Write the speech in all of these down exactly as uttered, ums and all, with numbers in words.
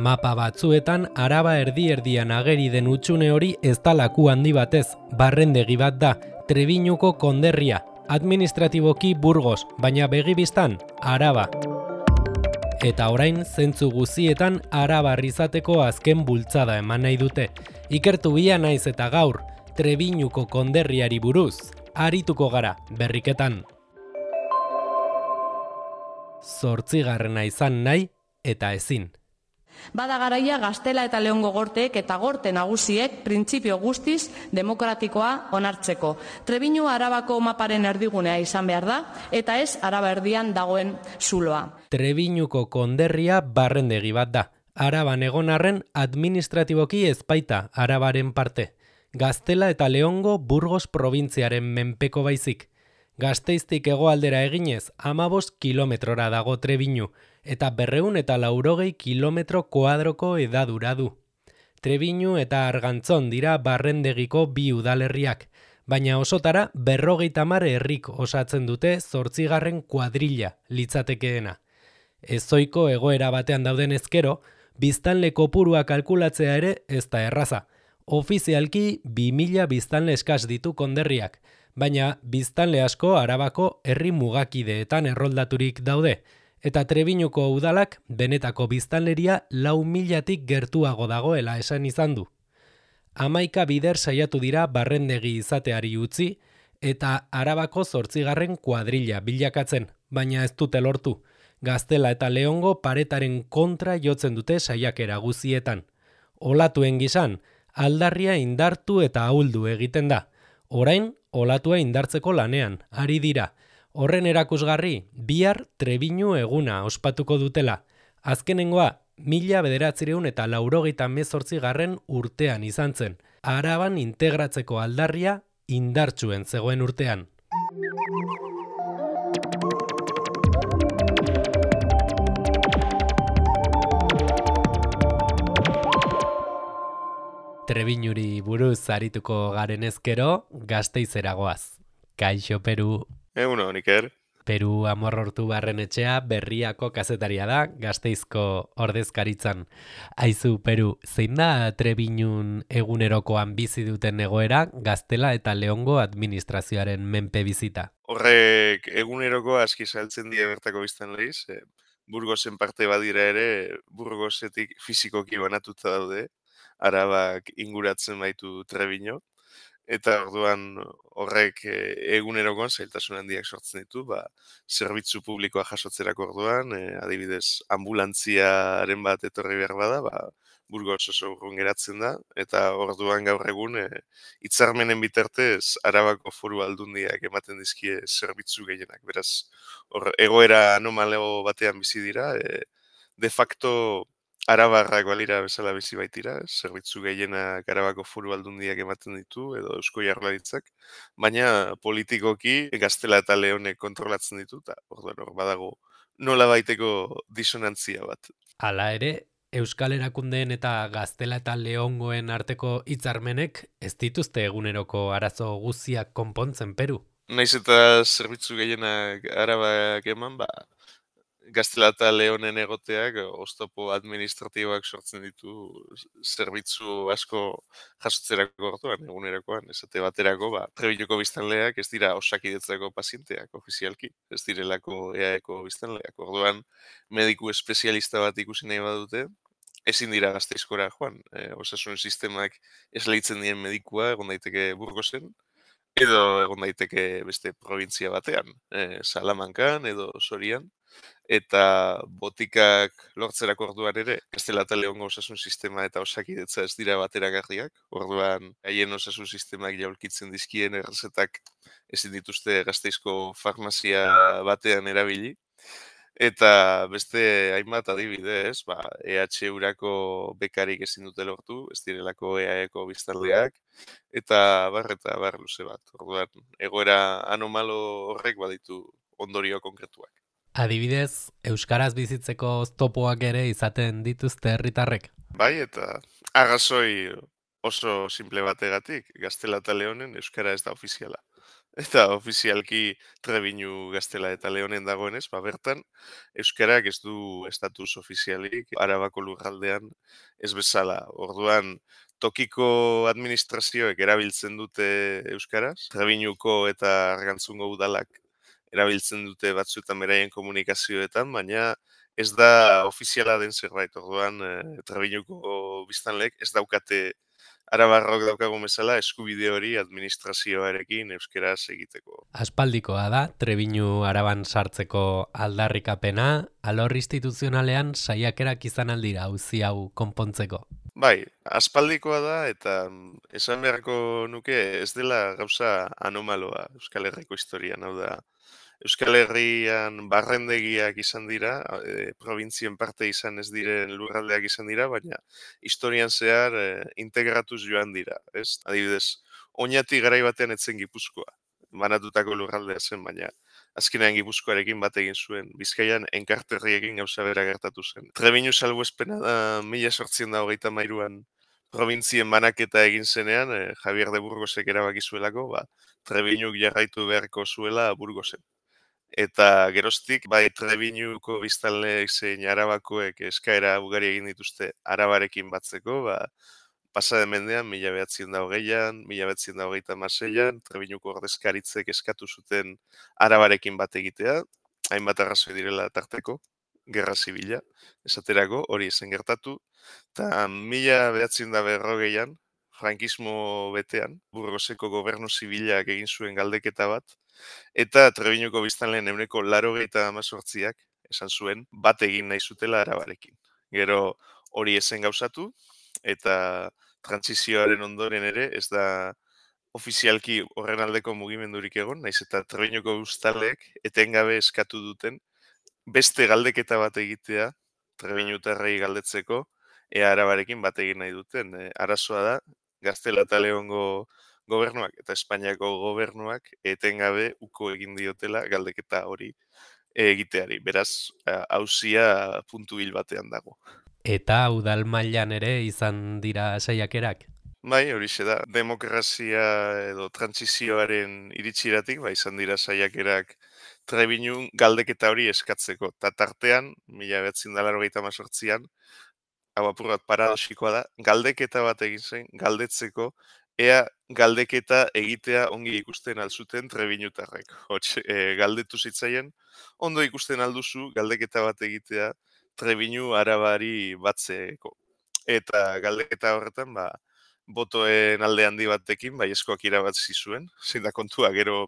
Mapa batzuetan araba erdi-erdian ageri den hutsune hori ez da laku handi batez, barrendegi bat da, Trebiñuko konderria, administratiboki Burgos, baina begibistan Araba. Eta orain zentzu guzietan arabar izateko azken bultzada eman nahi dute. Ikertu bia naiz eta gaur, Trebiñuko konderriari buruz, arituko gara berriketan. Zortzigarrena izan nahi eta ezin. Bada garaia Gaztela eta Leongo gorteek eta gorte nagusiek printzipio guztiz demokratikoa onartzeko. Trebiñu Arabako maparen erdigunea izan behar da, eta ez Araba erdian dagoen zuloa. Trebiñuko konderria barrendegi bat da. Araban egon arren administratiboki ezpaita Arabaren parte. Gaztela eta Leongo Burgos probintziaren menpeko baizik. Gasteiztik hegoaldera eginez hamabost kilometrora dago Trebiñu, eta berrehun eta laurogei kilometro koadroko edadura du. Trebiñu eta Argantzon dira barrendegiko bi udalerriak, baina osotara berrogeita hamar herrik osatzen dute zortzigarren kuadrilla litzatekeena. Ezoiko egoera batean dauden ezkero, biztanle kopurua kalkulatzea ere ez da erraza. Ofizialki bi mila biztanle eskas ditu konderriak, baina biztanle asko Arabako herri mugakideetan erroldaturik daude, eta Trebiñuko udalak benetako biztanleria lau milatik gertuago dagoela esan izan du. Hamaika bider saiatu dira barrendegi izateari utzi, eta Arabako zortzigarren kuadrilla bilakatzen, baina ez dute lortu. Gaztela eta Leongo paretaren kontra jotzen dute saiakera guzietan. Olatuen gisan, aldarria indartu eta ahuldu egiten da. Orain, olatua indartzeko lanean, ari dira. Horren erakusgarri, bihar Trebiñu eguna ospatuko dutela. Azkenengoa, mila bederatzireun eta laurogeita hemezortzigarren urtean izan zen. Araban integratzeko aldarria indartsuen zegoen urtean. Trebiñuri buruz arituko garen ezkero, Gasteizera goaz. Kaixo, Peru. Eguno, Iker. Peru Amorrortu Barrenetxea berriako kazetaria da, Gasteizko ordezkaritzan. Aizu, Peru, zein da Trebiñun egunerokoan bizi duten egoera Gaztela eta Leongo administrazioaren menpe bizita? Horrek eguneroko aski saltzen die bertako biztan lehiz. Burgosen parte badira ere, Burgosetik fizikoki banatuta daude. Arabak inguratzen baitu Trebiño, eta orduan horrek egunerokoan zailtasun handiak sortzen ditu, ba, zerbitzu publikoa jasotzerako orduan, e, adibidez, ambulantziaren bat etorri behar bada, ba, Burgos oso urrun geratzen da, eta orduan gaur egun e, hitzarmenen bitartez Arabako Foru Aldundiak ematen dizkie zerbitzu gehienak. Beraz, hor, egoera anomalego batean bizi dira, e, de facto Arabarrak balira bezala bizi baitira, zerbitzu gehienak Arabako Foru Aldundiak ematen ditu, edo Eusko Jaurlaritzak, baina politikoki Gaztela eta Leonek kontrolatzen ditu, eta orduan hor badago nola baiteko disonantzia bat. Hala ere, Euskal Erakundeen eta Gaztela eta Leongoen arteko hitzarmenek ez dituzte eguneroko arazo guziak konpontzen, Peru. Naiz eta zerbitzu gehienak Arabak eman, ba, Gaztela eta Leonen egoteak oztopo administratiboak sortzen ditu zerbitzu asko jasotzerako orduan, egunerakoan, esate baterako, ba, Trebiñuko biztanleak ez dira osakidetzako pazienteak ofizialki, ez direlako E A Eko biztanleak. Orduan, mediku espezialista bat ikusi nahi badute, ezin dira Gasteizkora joan. E, osasun sistemak esleitzen dien medikua egon daiteke Burgosen, edo egon daiteke beste provintzia batean, e, Salamankan edo Sorian. Eta botikak lortzerako orduan ere, Gaztela eta Leongo osasun sistema eta osakidetza ez dira bateragarriak. Orduan, haien osasun sistemak jaulkitzen dizkien errezetak ezin dituzte Gasteizko farmazia batean erabili. Eta beste hainbat adibidez, ba, E H urako bekarik ezin dute lortu, ez direlako E A Eko biztanleak, eta bar eta bar luze bat. Orduan, egoera anomalo horrek baditu ondorio konkretuak. Adibidez, euskaraz bizitzeko oztopoak ere izaten dituzte herritarrek. Bai, eta arrazoi oso simple bategatik, Gaztela eta Leonen euskara ez da ofiziala. Eta ofizialki Trebiñu, Gaztela eta Leonen dagoenez, ba bertan euskarak ez du estatus ofizialik Arabako lurraldean ez bezala. Orduan tokiko administrazioek erabiltzen dute euskaraz, Trebiñuko eta Argantzungo udalak erabiltzen dute batzuetan beraien komunikazioetan, baina ez da ofiziala den zerbait. Orduan eh, Trebiñuko biztanleek ez daukate Arabarrok daukagun bezala eskubide hori administrazioarekin euskeraz egiteko. Aspaldikoa da, Trebiñu Araban sartzeko aldarrikapena, alor instituzionalean saiakerak izan aldira auzi hau konpontzeko. Bai, aspaldikoa da eta esan beharko nuke ez dela gauza anomaloa Euskal Herriko historian, hau da. Euskal Herrian barrendegiak izan dira, e, provintzien parte izan ez diren lurraldeak izan dira, baina historian zehar e, integratuz joan dira, ez? Adibidez, Oñati garai batean etzen Gipuzkoa, banatutako lurraldea zen, baina azkenean Gipuzkoarekin bat egin zuen, Bizkaian enkarterriekin gauza bera gertatu zen. Trebiñu salbuespena da mila sortziehun eta hogeita hamairuan provintzien banaketa egin zenean, e, Javier de Burgosek erabaki zuelako, ba, Trebiñuk jarraitu beharko zuela Burgosen. Eta geroztik, bai Trebiñuko biztanleek zein Arabakoek eskaera ugari egin dituzte Arabarekin batzeko, ba, pasade mendean, mila behatziehun eta hogeian, mila behatziehun eta hogeita hamaseian, Trebiñuko ordezkaritzek eskatu zuten Arabarekin bat egitea, hainbat arrazoi direla tarteko, gerra zibila, esaterako, hori zen gertatu, eta mila behatziehun eta berrogeian, frankismo betean, Burgoseko gobernu zibilak egin zuen galdeketa bat, eta Trebiñuko biztanleen ehuneko laurogeita hemezortziak esan zuen bat egin nahi zutela Arabarekin. Gero hori ezen gauzatu eta trantsizioaren ondoren ere ez da ofizialki horren aldeko mugimendurik egon, naiz eta Trebiñuko biztanleek etengabe eskatu duten beste galdeketa bat egitea Trebiñutarrei galdetzeko ea Arabarekin bat egin nahi duten. E, arazoa da Gaztela eta Leongo gobernuak eta Espainiako gobernuak etengabe uko egin diotela galdeketa hori egiteari. Beraz, auzia puntu hil batean dago. Eta udal mailan ere izan dira saiakerak? Bai, horixe da. Demokrazia edo trantsizioaren iritsiratik, bai, izan dira saiakerak Trebiñun galdeketa hori eskatzeko. Ta tartean, mila bederatziehun eta laurogeita hemezortzian, hau apur bat paradoxikoa da, galdeketa bat egin zen, galdetzeko, ea galdeketa egitea ongi ikusten alzuten Trebiñutarrek. Hots, e, galdetu zitzaien, ondo ikusten alduzu galdeketa bat egitea Trebiñu Arabari batzeko. Eta galdeketa horretan, ba, botoen alde handi batekin, baiezkoak irabazi zuen, zein da kontua, gero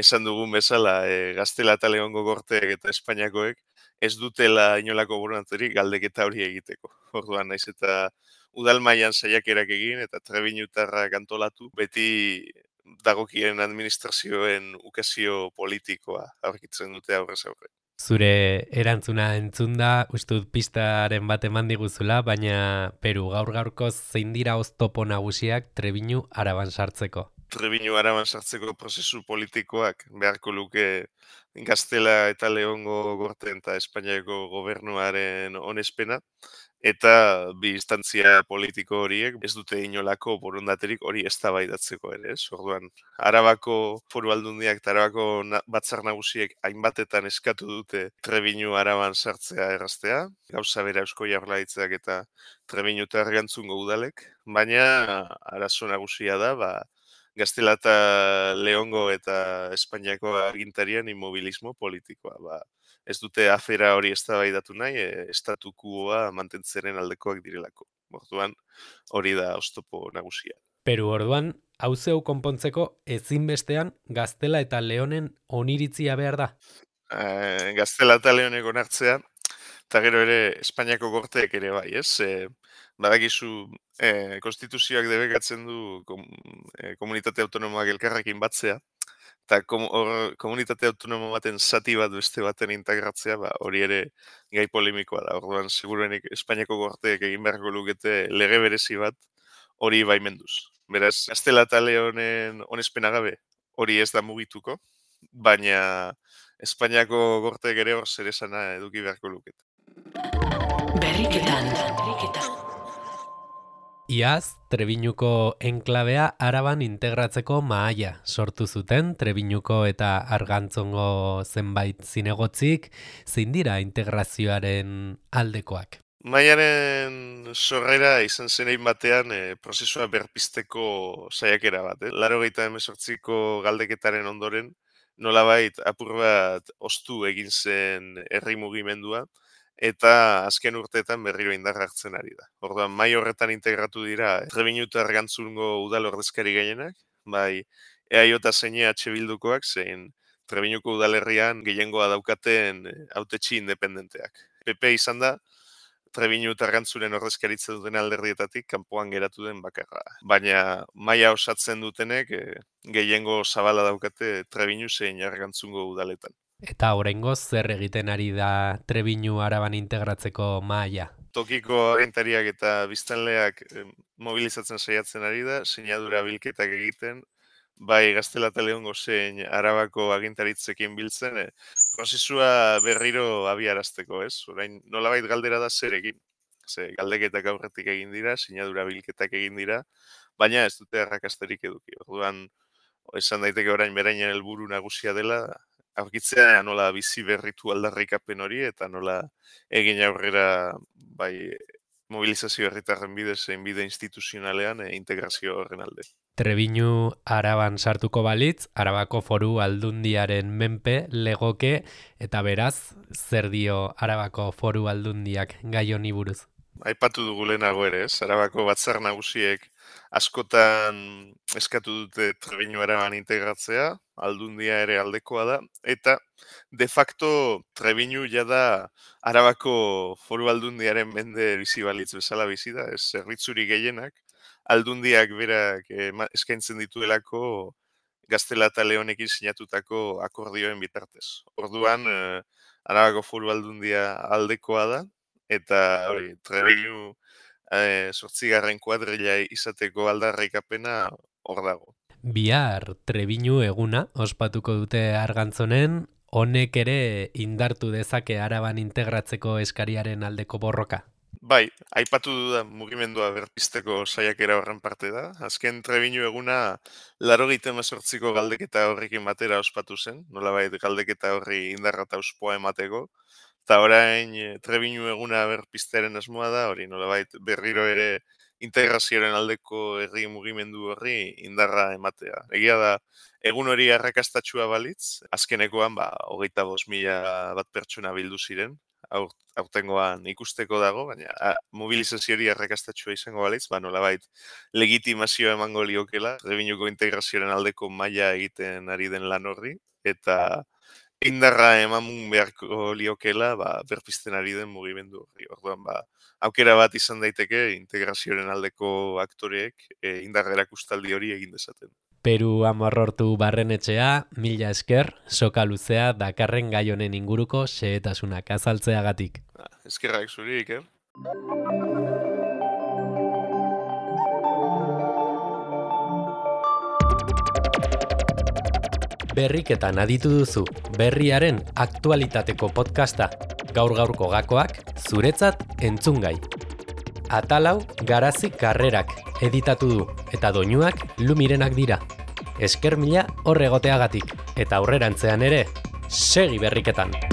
esan dugun bezala, e, Gaztela eta Leongo gorteek eta Espainiakoek ez dutela inolako borondaterik galdeketa hori egiteko. Orduan, naiz eta udal mailan saiakerak egin eta Trebiñutarrak antolatu, beti dagokien administrazioen ukazio politikoa aurkitzen dute aurrez aurre. Zure erantzuna entzunda, uste dut pistaren bat eman diguzula, baina Peru gaur gaurkoz zein dira oztopo nagusiak Trebiñu Araban sartzeko? Trebiñu Araban sartzeko prozesu politikoak beharko luke Gaztela eta Leongo gorteen eta Espainiako gobernuaren onespena, eta bi instantzia politiko horiek ez dute inolako borondaterik hori eztabaidatzeko ere, ez? Orduan, Arabako Foru Aldundiak eta Arabako na, batzar nagusiek hainbatetan eskatu dute Trebiñu Araban sartzea erraztea, gauza bera Eusko Jaurlaritzak eta Trebiñu eta Argantzungo udalek, baina arazo nagusia da, ba, Gaztela eta Leongo eta Espainiako agintarien inmobilismo politikoa. Ba, ez dute afera hori eztabaidatu nahi, e, estatukuoa mantentzeren aldekoak direlako. Orduan, hori da oztopo nagusia. Peru orduan, hauzeu konpontzeko ezinbestean Gaztela eta Leonen oniritzia behar da? E, Gaztela eta Leonek onartzea, eta gero ere Espainiako gorteek ere bai, ez? E, badakizu, e, konstituzioak debekatzen du kom, e, komunitate autonomoak elkarrekin batzea, eta kom, or, komunitate autonomo baten zati bat beste baten integratzea, ba, hori ere gai polemikoa da. Orduan, seguruenik Espainiako gorteek egin beharko lukete lege berezi bat hori baimenduz. Beraz, Gaztela eta Leonen onespena gabe hori ez da mugituko, baina Espainiako gorteek ere hor zer esana eduki beharko lukete. Berriketan, berriketan. Iaz, Trebiñuko enklabea Araban integratzeko mahaia sortu zuten Trebiñuko eta Argantzongo zenbait zinegotzik, zein dira integrazioaren aldekoak. Maiaren sorrera izan zenein batean e, prozesua berpizteko saiakera bat. Eh? Laurogeita hemezortziko galdeketaren ondoren, nolabait apur bat ostu egin zen herri mugimendua, eta azken urteetan berriro indarra hartzen ari da. Orduan, mai horretan integratu dira Trebiñu eta Argantzungo udal ordezkari gehienak, bai E A J zein E H Bildukoak, zein Trebiñuko udalerrian gehiengoa daukaten hautetsi independenteak. P P izan da, Trebiñu eta Argantzuren ordezkaritza duten alderdietatik kanpoan geratu den bakarra. Baina maila osatzen dutenek e, gehiengo zabala daukate Trebiñu zein Argantzungo udaletan. Eta oraingoz zer egiten ari da Trebiñu Araban integratzeko mahaia? Tokiko agintariak eta biztanleak eh, mobilizatzen saiatzen ari da, sinadura bilketak egiten, bai Gaztela eta Leongo zein Arabako agintaritzekin biltzen, eh, prozesua berriro abiarazteko, ez? Orain nolabait galdera da zer egin. Ze galdeketak aurretik egin dira, sinadura bilketak egin dira, baina ez dute arrakasterik eduki. Orduan, esan daiteke orain berainen helburu nagusia dela, aurkitzea nola bizi berritu aldarrikapen hori eta nola egin aurrera bai mobilizazio herritarren bidez zein bide instituzionalean e, integrazio horren alde. Trebiñu Araban sartuko balitz, Arabako Foru Aldundiaren menpe legoke eta beraz zer dio Arabako Foru Aldundiak gai honi buruz? Aipatu dugu lehenago ere, ez? Arabako batzar nagusiek askotan eskatu dute Trebiñu Araban integratzea, Aldundia ere aldekoa da, eta de facto Trebiñu jada Arabako Foru Aldundiaren mende bizi balitz bezala bizi da, ez zerbitzuri gehienak, Aldundiak berak eh, eskaintzen dituelako Gaztela eta Leonekin sinatutako akordioen bitartez. Orduan, eh, Arabako Foru Aldundia aldekoa da, eta hori, Trebiñu eh, zortzigarren kuadrilla izateko aldarrikapena hor dago. Bihar Trebiñu eguna ospatuko dute Argantzonen, honek ere indartu dezake Araban integratzeko eskariaren aldeko borroka. Bai, aipatu dudan mugimendua berpizteko saiakera horren parte da. Azken Trebiñu eguna laurogeita hemezortziko galdeketa horrekin batera ospatu zen, nolabait galdeketa horri indarra eta auspoa emateko. Eta orain Trebiñu eguna berpiztearen asmoa da, hori nolabait berriro ere integrazioaren aldeko herri mugimendu horri indarra ematea. Egia da, egun hori arrakastatsua balitz, azkenekoan ba, hogeita bost mila bat pertsona bildu ziren, aurtengoan ikusteko dago, baina a, mobilizazio hori arrakastatsua izango balitz, ba, nolabait legitimazioa emango liokela, Trebiñuko integrazioaren aldeko maila egiten ari den lan horri, eta indarra eman beharko liokela ba, berpizten ari den mugimendu horri. Orduan, ba, aukera bat izan daiteke integrazioaren aldeko aktoreek e, indarra erakustaldi hori egin dezaten. Peru Amorrortu Barrenetxea, mila esker, soka luzea dakarren gai honen inguruko xehetasunak azaltzeagatik. Eskerrak zuri, Iker. Berriketan aditu duzu, berriaren aktualitateko podcasta, gaur-gaurko gakoak, zuretzat entzungai. Atalau Garazi Karrerak editatu du, eta doinuak Lumirenak dira. Esker mila horregoteagatik, eta aurrerantzean ere, segi berriketan!